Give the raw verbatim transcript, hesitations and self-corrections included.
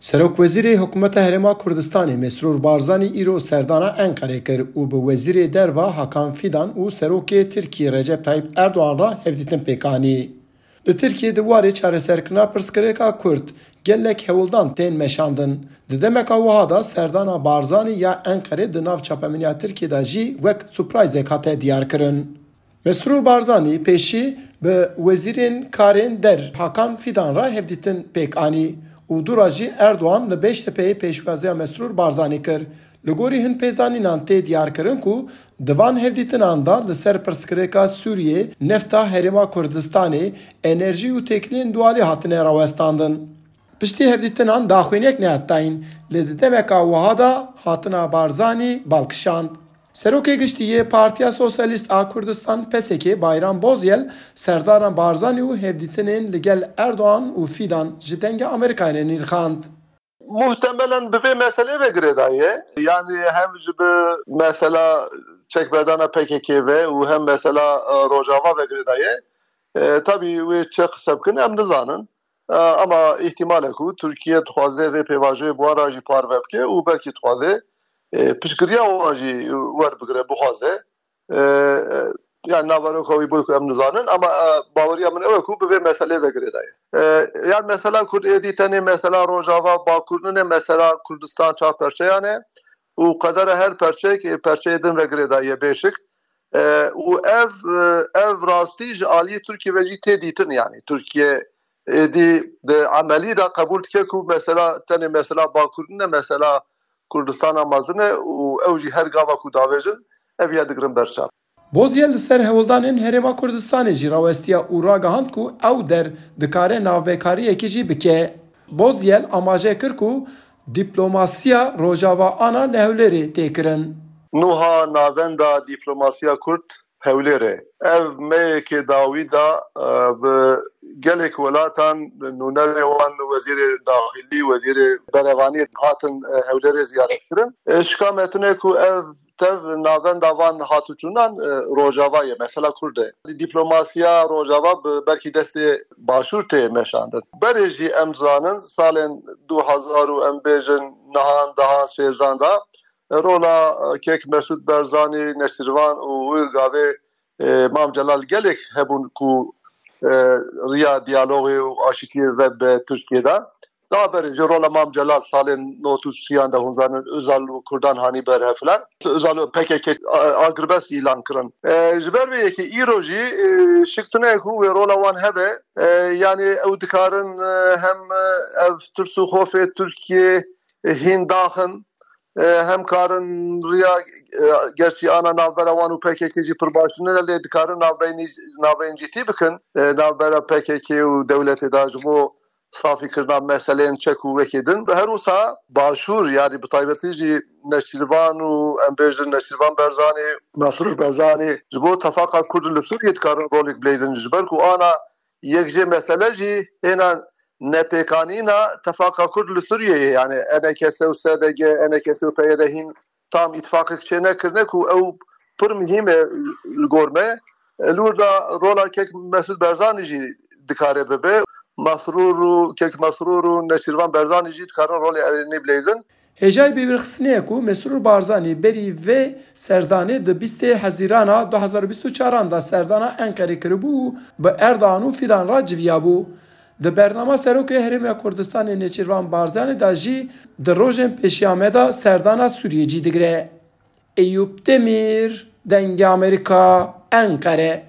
Serokwezîrê Hikûmeta Herêma Kurdistanê Mesrûr Barzanî îro serdana Enqerê kir û bi Wezîrê Derva Hakan Fidan û Serokê Tirkiyê Recep Tayyip Erdogan re hevdîtin pêk anî. Li Tirkiyê di warê çareserkirina pirsgirêka Kurd gelek hewldan tên meşandin. Di demeka wiha de serdana Barzanî ya Enqerê di nav çapemeniya Tirkiyê de jî wek surprizek hate diyarkirin. Mesrûr Barzanî pêşî bi wezîrên karên der Hakan Fidan re hevdîtin pêk anî û dûra jî Erdogan li Beştepeyê pêşwaziya Mesrûr Barzanî kir. Li gorî hin pêzanînan tê diyarkirin ku di van hevdîtinan de li ser pirsgirêka Sûriyê, nefta Herêma Kurdistanê, enerjî û têkiliyên dualî hatine rawestandin. Piştî hevdîtinan daxuyaniyek nehat dayîn, lê di demeka wiha de hatina Barzanî bal kişand. Serokê Giştî yê Partiya Sosyalîst a Kurdistan, P S K, Bayram Bozyel, serdana Barzanî û hevdîtinên li gel Erdogan û Fidan ji Dengê Amerîkayê re nirxand. Muhtemelen bi vê meselê ve girêdaye. Yani hem ji bi mesela çekberdana P K K ve û hem mesela, e, Rojava ve girêdaye. E, tabii wê çi qise bikin em nizanin. E, ama îhtimal e ku Tirkiye dixwaze vê pêvajoyê bi wan re jî parve bike û belkî dixwaze, e, piştgiriya wan jî werbigire, bixwaze. E, e, yani naveroka wî bû ku em nizanin, ama, e, baweriya min ew e ku bi vê meselê ve girêdaye. E, yani mesela Kurd êdî tenê mesela Rojava Bakur nine, mesela Kurdistan çar perçeyan e û qedera her perçek, e, perçeyê din ve girêdaye bêşik. E, û ev, e, ev rastî ji aliyê Tirkiye ve jî tê dîtin, yani Tirkiye êdî di emelî de qebûl dike ku mesela tenê mesela Bakur nine, mesela Kurdistana mezin e û ew jî her gava ku davêjin, ev ya digirin ber çav. Bozyel li ser hewldanên Herêma Kurdistanê jî rawestiya û ragihand ku ew der dikare navbekariyekê jî bike. Bozyel amaje kir ku diplomasiya Rojava ana li Hewlêrê tê kirin. Nuha navenda diplomasiya Kurd Hewlêrê. Ev meyekê dawî de, e, bi gelek welatan nûnerê wan, wezîrê daxilî, wezîrê berevanî hatin, e, Hewlêrê ziyaret kirin. E, şika me tune ku ev tev navenda van hatûçûnan, e, Rojava ye, mesela Kurd e. Diplomasiya Rojava bi belkî destê Başûr tê meşandin. Berê jî em zanin salên du hezar û em bêjin nehan, dehan, sêzdan de rola, e, kek Mesûd Barzanî, Neçîrvan û wî gavê, e, Mam Celal gelek hebûn ku, e, riya diyalogê û aşitiyê ve bi Tirkiye de. Daha berê jî rola Mam Celal salên nod û sîyan de hûn zanin Özal û Kurdan hanî ber hev filan. Özal û P K K a-, agirbest îlan kirin. E, ji ber vê yekê îro jî, e, şik tune ku wê rola wan hebe. E, yani ew dikarin, e, hem, e, ev tirs û xofê Tirkiye, e, hîn daxin. E, hem karin riya, e, gerçî ana navbera wan û P K K jî pir baş nine, lê dikarin navbeyni-, navbeyncîtî bikin, e, navbera P K K û dewletê de ji bo safîkirina meseleyên çek û wekê din. Her wisa Başûr, yani bi taybetî jî Neçîrvan û em bêjin Neçîrvan Berzanî, Mesrûr Berzanî ji bo tefaqa Kurd li Sûriyê dikarin rolek bileyzin. Ji ber ku ana yek jê mesele jî hêna nepêkanîna tefaqa Kurd li Sûriyeyê, yani E N K S û S D G, E N K S û P Y D hîn tam îtifaqek çênekirine ku ew pir muhîm e li gor me. Li wir de rola kek Mesûd Barzanî jî dikare bibe. Mesrûr û kek Mesrûr û Neçîrvan Barzanî jî dikarin rolê erênî bileyzin. Hêjayî bîrxistinê ye ku Mesrûr Barzanî berî vê serdanê di bîstê Hezîrana du hezar û bîst û çaran de serdana Enqerê kiribû û bi Erdogan û Fidan re civiyabû. Di bernama Serokê Herêma Kurdistanê Nêçîrvan Barzanî de jî di rojên pêşiya me de serdana Sûriyê cî digire. Eyûp Demîr, Dengê Amerîka, Enqere.